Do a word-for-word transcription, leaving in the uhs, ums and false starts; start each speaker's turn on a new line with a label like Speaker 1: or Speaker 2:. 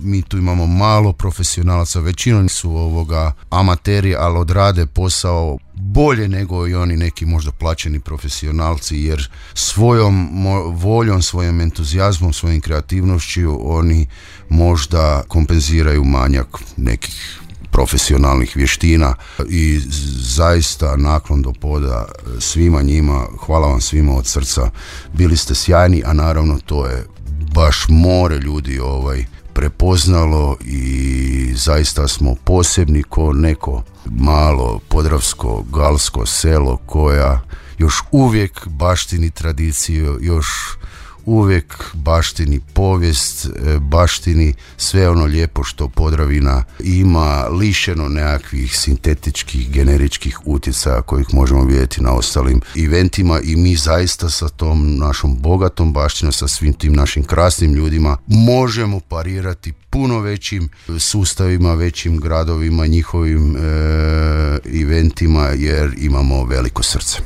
Speaker 1: mi tu imamo malo profesionalaca, većinom su ovoga amateri, ali odrade posao bolje nego i oni neki možda plaćeni profesionalci, jer svojom mo- voljom, svojim entuzijazmom, svojim kreativnošću oni možda kompenziraju manjak nekih profesionalnih vještina i zaista naklon do poda svima njima, hvala vam svima od srca, bili ste sjajni, a naravno to je baš more ljudi ovaj prepoznalo i zaista smo posebni ko neko malo podravsko galsko selo koja još uvijek baštini tradiciju, još uvijek baštini povijest, baštini sve ono lijepo što Podravina ima, lišeno nekakvih sintetičkih, generičkih utjecaja kojih možemo vidjeti na ostalim eventima i mi zaista sa tom našom bogatom baštinom, sa svim tim našim krasnim ljudima možemo parirati puno većim sustavima, većim gradovima, njihovim e, eventima jer imamo veliko srce.